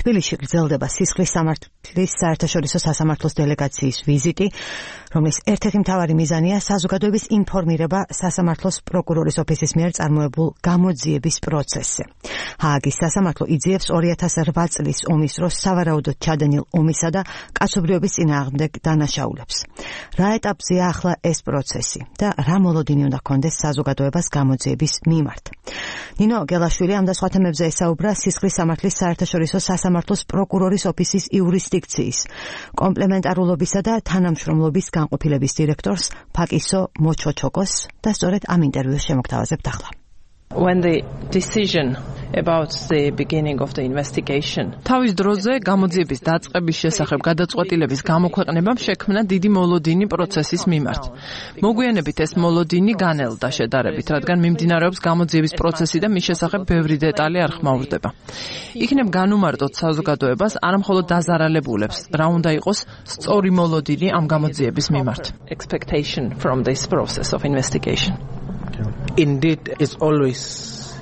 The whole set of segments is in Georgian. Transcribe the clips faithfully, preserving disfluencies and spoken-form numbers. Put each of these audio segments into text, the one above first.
თბილისში გრძელდება სისხლის სამართლის საერთაშორისო სასამართლოს დელეგაციის ვიზიტი, რომლის ერთ-ერთი მთავარი მიზანია საზოგადოების ინფორმირება სასამართლოს პროკურორის ოფისის მიერ წარმოებულ გამოძიების პროცესზე. ჰააგის სასამართლო იძიებს ორი ათას რვა წლის ომის დროს სავარაუდოდ ჩადენილ ომისა და კაცობრიობის წინააღმდეგ დანაშაულებს. რა ეტაპზეა ახლა ეს პროცესი და რა მოლოდინი უნდა ჰქონდეს საზოგადოებას გამოძიების მიმართ? ნინო გელაშვილი ამ და სხვა თემებზე ესაუბრა სისხლის სამართლის საერთაშორისო სასამართლოს პროკურორის ოფისის იურისდიქციის, კომპლემენტარულობისა და თანამშრომლობის განყოფილების დირექტორს ფაკისო მოჩოჩოკოს და სწორედ ამ ინტერვიუს შემოგთავაზებთ ახლა. When the decision about the beginning of the investigation თავის დროზე გამოძიების დაწყების შესახებ გადაწყვეტილების გამოქვეყნებამ შექმნა დიდი მოლოდინი პროცესის მიმართ. მოგვიანებით ეს მოლოდინი განელდა შედარებით, რადგან მიმდინარეობს გამოძიების პროცესი და მის შესახებ ბევრი დეტალი არ ხმაურდება. იქნებ განუმარტოთ საზოგადოებას არა მხოლოდ დაზარალებულებს, რა უნდა იყოს სწორი მოლოდინი ამ გამოძიების მიმართ. Expectation from this process of investigation. Indeed, it's always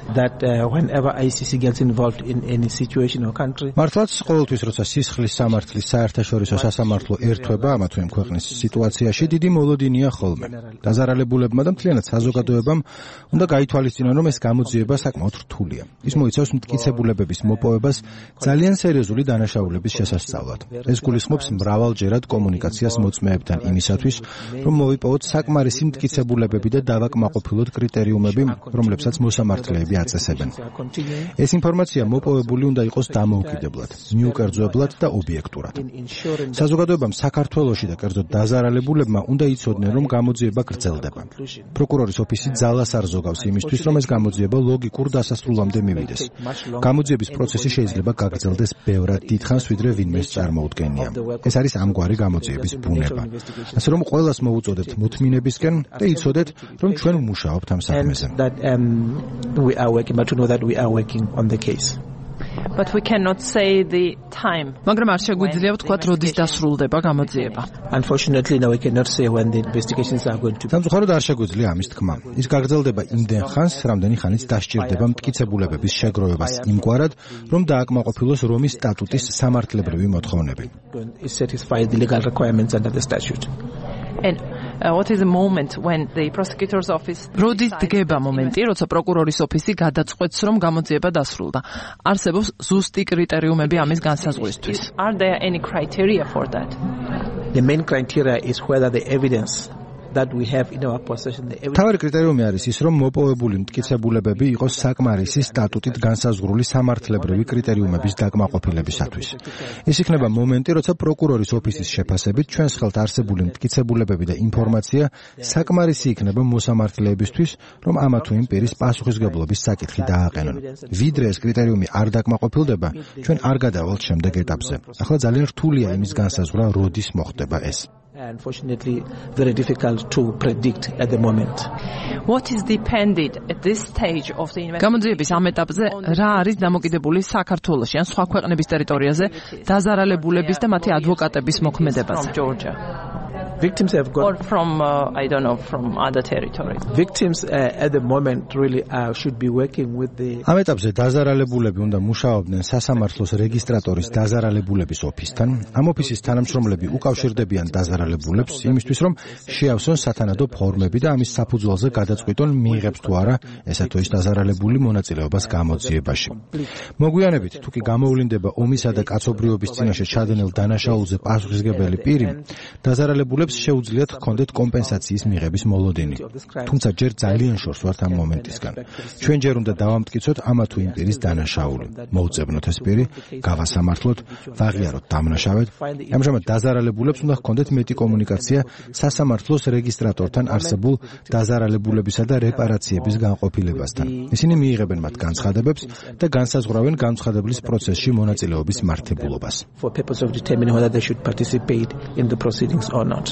that uh, whenever I C C gets involved in any situation or country. მართლაც ყოველთვის როცა სისხლის სამართლის საერთაშორისო სასამართლო ერთვება ამა თუ იმ ქვეყნის სიტუაციაში დიდი მოლოდინია ხოლმე. დაზარალებულებმა და მთლიანად საზოგადოებამ უნდა გაითვალისწინონ, რომ ეს გამოძიება საკმაოდ რთულია. ის მოიცავს მტკიცებულებების მოპოვებას ძალიან სერიოზული დანაშაულების შესასწავლად. ეს გულისხმობს მრავალჯერად კომუნიკაციას მოწმეებთან იმისათვის, რომ მოვიპოვოთ საკმარისი მტკიცებულებები და დავაკმაყოფილოთ კრიტერიუმები, რომლებსაც მოსამართლეები აწესებენ. ეს ინფორმაცია მოპოვებული უნდა იყოს დამოუკიდებლად, მიუკერძოებლად და ობიექტურად. საზოგადოებამ საქართველოში და კერძოდ დაზარალებულებმა უნდა იცოდნენ, რომ გამოძიება გრძელდება. პროკურორის ოფისი ძალას არ ზოგავს იმისთვის, რომ ეს გამოძიება ლოგიკურ დასასრულამდე მივიდეს. გამოძიების პროცესი შეიძლება გაგრძელდეს ბევრად დიდხანს, ვიდრე ვინმეს წარმოუდგენია. ეს არის ამგვარი გამოძიების ბუნება. ასე რომ ყველას მოუწოდებთ მოთმინებისკენ და იცოდეთ, რომ ჩვენ ვმუშაობთ ამ საქმეზე. Working, but to know that we are working on the case. But we cannot say the time. მაგრამ არ შეგვიძლია ვთქვათ, როდის დასრულდება გამოძიება. Unfortunately, now we cannot say when the investigations are going to be. სამწუხაროდ არ შეგვიძლია ამის თქმა. ის გაგრძელდება იმდენ ხანს, რამდენი ხანიც დასჭირდება მტკიცებულებების შეგროვებას იმგვარად, რომ დააკმაყოფილოს რომის სტატუტის სამართლებრივი მოთხოვნები. It satisfies the legal requirements under the statute. And uh, what is the moment when the prosecutor's office როდის დგება მომენტი, როცა პროკურორის ოფისი გადაწყვეტს, რომ გამოძიება დასრულდა? არსებობს ზუსტი კრიტერიუმები ამის განსაზღვრისთვის. Are there any criteria for that? The main criteria is whether the evidence that we have in our possession the evidence. თავი კრიტერიუმი არის ის, რომ მოპოვებული მტკიცებულებები იყოს საკმარისი სტატუტით განსაზღვრული სამართლებრივი კრიტერიუმების დაკმაყოფილებისათვის. ის იქნება მომენტი, როცა პროკურორის ოფისის შეფასებით ჩვენს ხელთ არსებული მტკიცებულებები და ინფორმაცია საკმარისი იქნება მოსამართლეებისთვის, რომ ამა თუ იმ პირის პასუხისგებლობის საკითხი დააყენონ. ვიდრე ეს კრიტერიუმი არ დაკმაყოფილდება, ჩვენ არ გადავალთ შემდეგ ეტაპზე. ახლა ძალიან რთულია იმის განსაზღვრა, როდის მოხდება ეს. Unfortunately, very difficult to predict at the moment. What is dependent at this stage of the investigation? გამოძიების ამ ეტაპზე რა არის დამოკიდებული საქართველოში ან სხვა ქვეყნების ტერიტორიაზე დაზარალებულების და მათი ადვოკატების მოქმედებაზე? From Georgia. Victims have got or from uh, I don't know from other territories. Victims uh, at the moment really uh, should be working with the ამ ეტაპზე დაზარალებულები უნდა მუშაობდნენ სასამართლოს რეგისტრატორის დაზარალებულების ოფისთან. ამ ოფისის თანამშრომლები უკავშირდებიან დაზარალებულებს იმისთვის, რომ შეავსონ სათანადო ფორმები და ამის საფუძველზე გადაწყვიტონ მიიღებს თუ არა ესა თუ ის დაზარალებული მონაწილეობას გამოძიებაში. მოგვიანებით, თუ კი გამოვლინდება ომისა და კაცობრიობის წინაშე ჩადენილ დანაშაულზე პასუხისმგებელი პირი, დაზარალებულებს შეუძლიათ ჰქონდეთ კომპენსაციის მიღების მოლოდინი. თუმცა ჯერ ძალიან შორს ვართ ამ მომენტისგან. ჩვენ ჯერ უნდა დავამტკიცოთ ამა თუ იმ პირის დანაშაული. მოუწებნოთ ეს პირი, გავასამართლოთ, ვაღიაროთ დამნაშავედ. ამჟამად დაზარალებულებს უნდა ჰქონდეთ მეტი კომუნიკაცია სასამართლოს რეგისტრატორთან არსებულ დაზარალებულებისა და რეპარაციების განყოფილებასთან. ისინი მიიღებენ მათ განცხადებებს და განსაზღვრავენ განცხადებლის პროცესში მონაწილეობის მართებულობას. For purpose of determining whether they should participate in the proceedings or not.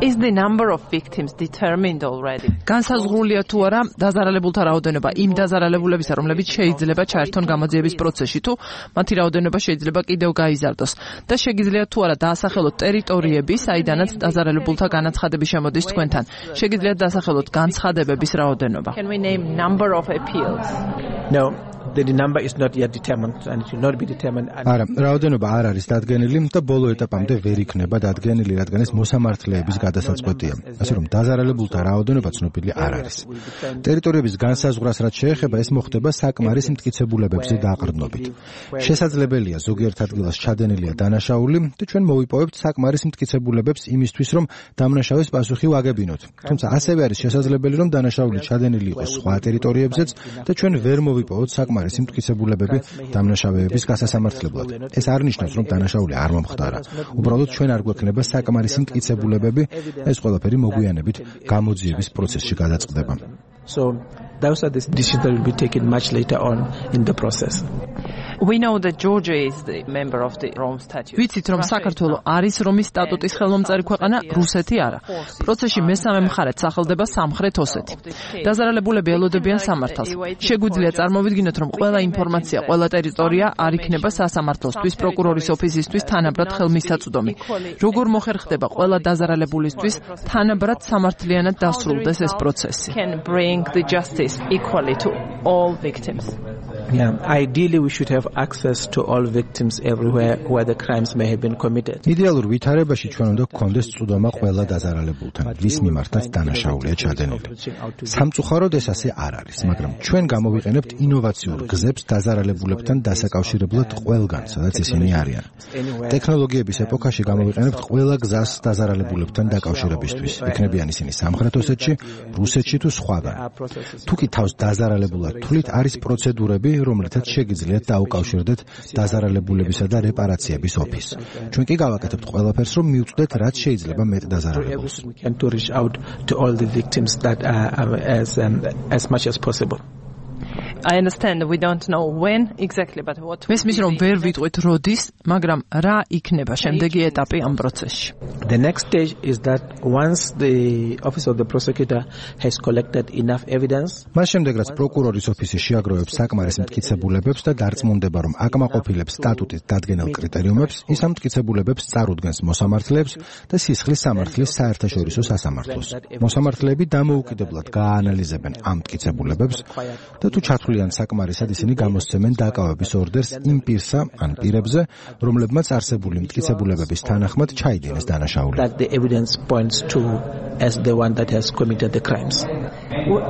Is the number of victims determined already? განსაზღვრულია თუ არა დაზარალებულთა რაოდენობა იმ დაზარალებულებისა, რომლებიც შეიძლება ჩაერთონ გამოძიების პროცესში, თუ მათი რაოდენობა შეიძლება კიდევ გაიზარდოს და შეგიძლიათ თუ არა დაასახელოთ ტერიტორიები, საიდანაც დაზარალებულთა განაცხადები შემოდის თქვენთან. შეგიძლიათ დაასახელოთ განცხადებების რაოდენობა. Can we name number of appeals? No, the number is not yet determined and it will not be determined. არა, რაოდენობა არ არის დადგენილი და ბოლო ეტაპამდე ვერ იქნება დადგენილი, რადგან ეს მოსამართლეების გადასაწყვეტია. ასე რომ დაზარალებულთა რაოდენობა ცნობილი არ არის. ტერიტორიების განსაზღვრას რაც შეეხება, ეს მოხდება საკმარის მტკიცებულებებზე დაყრდნობით. შესაძლებელია ზოგიერთ ადგილას ჩადენილია დანაშაული და ჩვენ მოვიპოვებთ საკმარის მტკიცებულებებს იმისთვის, რომ დამნაშავის პასუხი ვაგებინოთ. თუმცა ასევე არის შესაძლებელი, რომ დანაშაული ჩადენილი იყოს სხვა ტერიტორიებზეც და ჩვენ ვერ მოვიპოვოთ საკმარის მტკიცებულებები დამნაშავეების გასასამართლებლად. ეს არ ნიშნავს, რომ დანაშაული არ მომხდარა. უბრალოდ ჩვენ არ გვექნება საკმარის მტკიცებულებები, ეს ყველაფერი მოგვიანებით გამოძიების პროცესში გადაწყდება. So those are the decisions that will be taken much later on in the process. We know that Georgia is the member of the Rome Statute. ვიცით, რომ საქართველო არის რომის სტატუტის ხელმომწერი ქვეყანა, რუსეთი არა. პროცესში მესამე მხარედ სახელდება სამხრეთ ოსეთი. დაზარალებულები ელოდებიან სამართალს. შეგვიძლია წარმოვიდგინოთ, რომ ყველა ინფორმაცია, ყველა ტერიტორია არ იქნება სასამართლოსთვის, პროკურორის ოფისისთვის თანაბრად ხელმისაწვდომი. როგორ მოხერხდება ყველა დაზარალებულისთვის თანაბრად სამართლიანად დასრულდეს ეს პროცესი. Can bring the justice equally to all victims. Yeah, ideally we should have access to all victims everywhere where the crimes may have been committed. იდეალურ ვითარებაში ჩვენ უნდა გქონდეს წვდომა ყველა დაზარალებულთან, ვის მიმართაც დანაშაულია ჩადენილი. სამწუხაროდ ეს ასე არ არის, მაგრამ ჩვენ გამოვიყენებთ ინოვაციურ გზებს დაზარალებულებთან დასაკავშირებლად ყველგან, სადაც ისინი არიან. ტექნოლოგიების ეპოქაში გამოვიყენებთ ყველა გზას დაზარალებულებთან დაკავშირებისთვის. იქნებიან ისინი სამხრეთ ოსეთში, რუსეთში თუ სხვაგან. თუკი თავს დაზარალებულად თვლით, არის პროცედურები, რომლითაც შეგიძლიათ დაუკავშირდეთ დაზარალებულებისა და რეპარაციების ოფისს. ჩვენ კი გავაკეთებთ ყველაფერს, რომ მივწვდეთ, რაც შეიძლება მეტ დაზარალებულს. We can to reach out to all the victims that are as um, as much as possible. I understand that we don't know when exactly, but what მესმის რომ ვერ ვიტყვით როდის, მაგრამ რა იქნება შემდეგი ეტაპი ამ პროცესში. The next stage is that once the office of the prosecutor has collected enough evidence, მას შემდეგ რაც პროკურორის ოფისი შეაგროვებს საკმარის მტკიცებულებებს და დარწმუნდება, რომ აკმაყოფილებს სტატუტის დადგენილ კრიტერიუმებს, ის ამ მტკიცებულებებს წარუდგენს მოსამართლეებს და სისხლის სამართლის საერთაშორისო სასამართლოს. მოსამართლეები დამოუკიდებლად გააანალიზებენ ამ მტკიცებულებებს და თუ ჩათვლიან საკმარისად ისინი გამოსცემენ დაკავების ორდერს იმ პირსა ან პირებზე, რომლებმაც არსებული მტკიცებულებების თანახმად ჩაიდინეს დანაშაული. that the evidence points to as the one that has committed the crimes.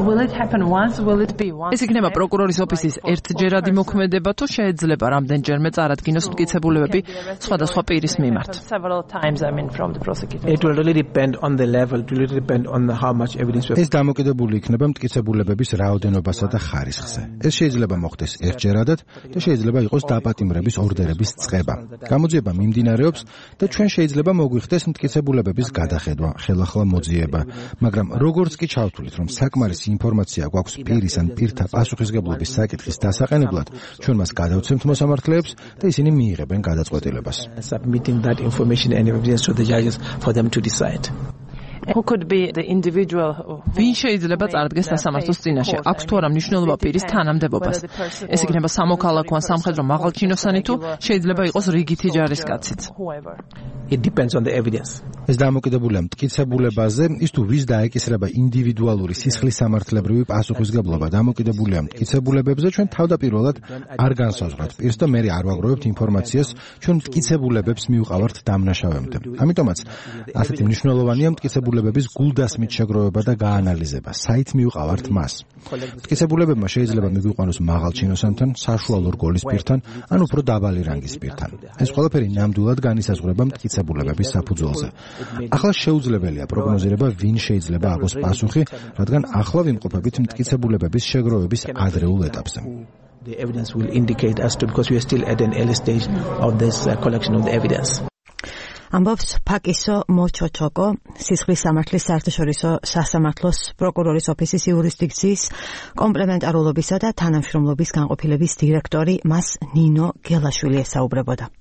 will it happen once? Will it be once? ეს იქნება პროკურორის ოფისის ერთჯერადი მოქმედება, თუ შეიძლება რამდენჯერმე წარადგინოს მტკიცებულებები სხვადასხვა პირის მიმართ. Several times, I mean, from the prosecutor. It will really depend on the level, it will really depend on the, how much evidence we have. ეს დამოკიდებული იქნება მტკიცებულებების რაოდენობასა და ხარისხზე. ეს შეიძლება მოხდეს ერთჯერადად და შეიძლება იყოს დაპატიმრების ორდერების წყება. გამოძიება მიმდინარეობს და ჩვენ შეიძლება მოგვიხდეს მტკიცებულებების გადახედვა, ხელახლა მოძიება, მაგრამ როგორც კი ჩავთვლით, რომ საკმარისი ინფორმაცია გვაქვს პირის ან პირთა პასუხისგებლობის საკითხის დასაყენებლად, ჩვენ მას გადავცემთ მოსამართლეებს და ისინი მიიღებენ გადაწყვეტილებას. Submitting that information and evidence to the judges for them to decide. Who could be the individual who ვინ შეიძლება წარდგეს სასამართლოს წინაშე? აქვს თუ არა მნიშვნელობა პირის თანამდებობას? ეს იქნება სამოქალაქო ან სამხედრო მაღალჩინოსანი თუ შეიძლება იყოს რიგითი ჯარისკაციც. whoever. It depends on the evidence. ეს დამოკიდებულია მტკიცებულებაზე, ის თუ ვის დაეკისრება ინდივიდუალური სისხლის სამართლებრივი პასუხისგებლობა, დამოკიდებულია მტკიცებულებებზე, ჩვენ თავდაპირველად არ განსაზღვროთ პირს და მე არ ვაგროვებთ ინფორმაციას, ჩვენ მტკიცებულებებს მივყავართ დამნაშავემდე. ამიტომაც ასეთი მნიშვნელოვანია მტკიცებულებების გულდასმით შეგროვება და გაანალიზება. საით მივყავართ მას? მტკიცებულებებმა შეიძლება მიგვიყვანოს მაღალჩინოსანთან, საშუალო რგოლის პირთან, ან უფრო დაბალი რანგის პირთან. ეს ყველაფერი ნამდვილად განისაზღვრება მტკიცებულებების საფუძველზე. ახლა შეუძლებელია პროგნოზირება, ვინ შეიძლება აგოს პასუხი, რადგან ახლა ვიმყოფებით მტკიცებულებების შეგროვების ადრეულ ეტაპზე. The evidence will indicate us to because we are still at an early stage of this uh, collection of the evidence. ამბობს ფაკისო მოჩოჩოკო, სისხლის სამართლის საერთაშორისო სასამართლოს პროკურორის ოფისის იურისდიქციის კომპლემენტარულობისა და თანამშრომლობის განყოფილების დირექტორი, მას ნინო გელაშვილი ესაუბრებოდა.